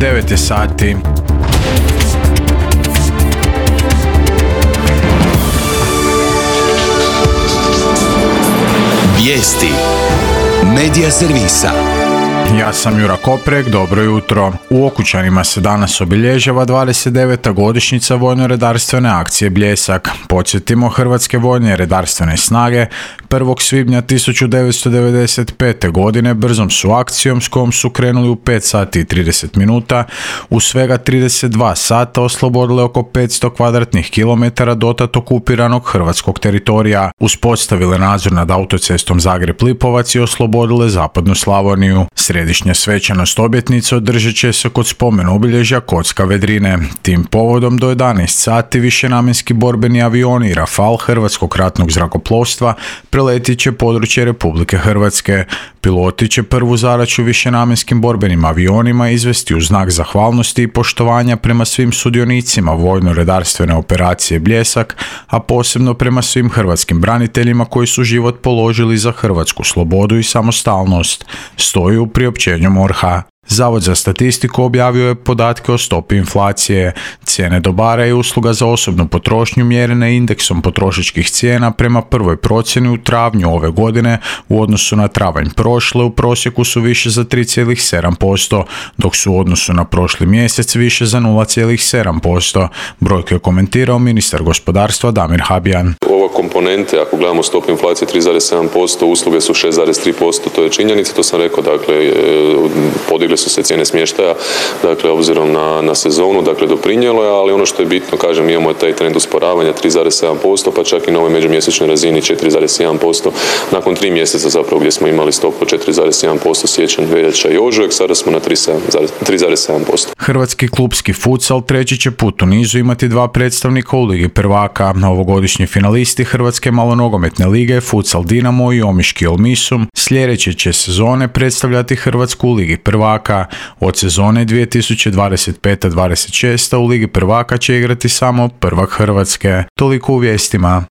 9 je sati. Vijesti Medija servisa. Ja sam Jura Koprek, dobro jutro. U Okučanima se danas obilježava 29. godišnjica vojno-redarstvene akcije Bljesak. Podsjetimo, Hrvatske vojne redarstvene snage 1. svibnja 1995. godine brzom su akcijom s kojom su krenuli u 5 sati i 30 minuta u svega 32 sata oslobodile oko 500 kvadratnih kilometara dotad okupiranog hrvatskog teritorija, uspostavile nadzor nad autocestom Zagreb-Lipovac i oslobodile zapadnu Slavoniju. Središnja svečanost obljetnice održat će se kod spomen obilježja Kocka Vedrine. Tim povodom do 11 sati višenamjenski borbeni avioni Rafal Hrvatskog ratnog zrakoplovstva preletit će područje Republike Hrvatske. Piloti će prvu zadaću višenamjenskim borbenim avionima izvesti u znak zahvalnosti i poštovanja prema svim sudionicima vojno-redarstvene operacije Bljesak, a posebno prema svim hrvatskim braniteljima koji su život položili za hrvatsku slobodu i samostalnost, stoji u priopćenju MORH-a. Zavod za statistiku objavio je podatke o stopi inflacije. Cijene dobara i usluga za osobnu potrošnju mjerene indeksom potrošačkih cijena prema prvoj procjeni u travnju ove godine u odnosu na travanj prošle u prosjeku su više za 3,7%, dok su u odnosu na prošli mjesec više za 0,7%. Brojke je komentirao ministar gospodarstva Damir Habijan. Ova komponente, ako gledamo stopu inflacije 3,7%, usluge su 6,3%, to je činjenica, to sam rekao, dakle, podigle su se cijene smještaja, dakle, obzirom na sezonu, dakle, doprinijelo je, ali ono što je bitno, kažem, imamo taj trend usporavanja 3,7%, pa čak i na ovoj međumjesečnoj razini 4,1%, nakon 3 mjeseca zapravo gdje smo imali stopu 4,1% siječanj, veljača i ožujak, sada smo na 3,7%. Hrvatski klupski futsal treći će put u nizu imati 2 predstavnika u Ligi prvaka. Novogodišnji finalisti Hrvatske malonogometne lige Futsal Dinamo i Omiški Olmisum sljedeće će sezone predstavljati Hrvatsku u Ligi prvaka. Od sezone 2025-26 u Ligi prvaka će igrati samo prvak Hrvatske. Toliko u vijestima.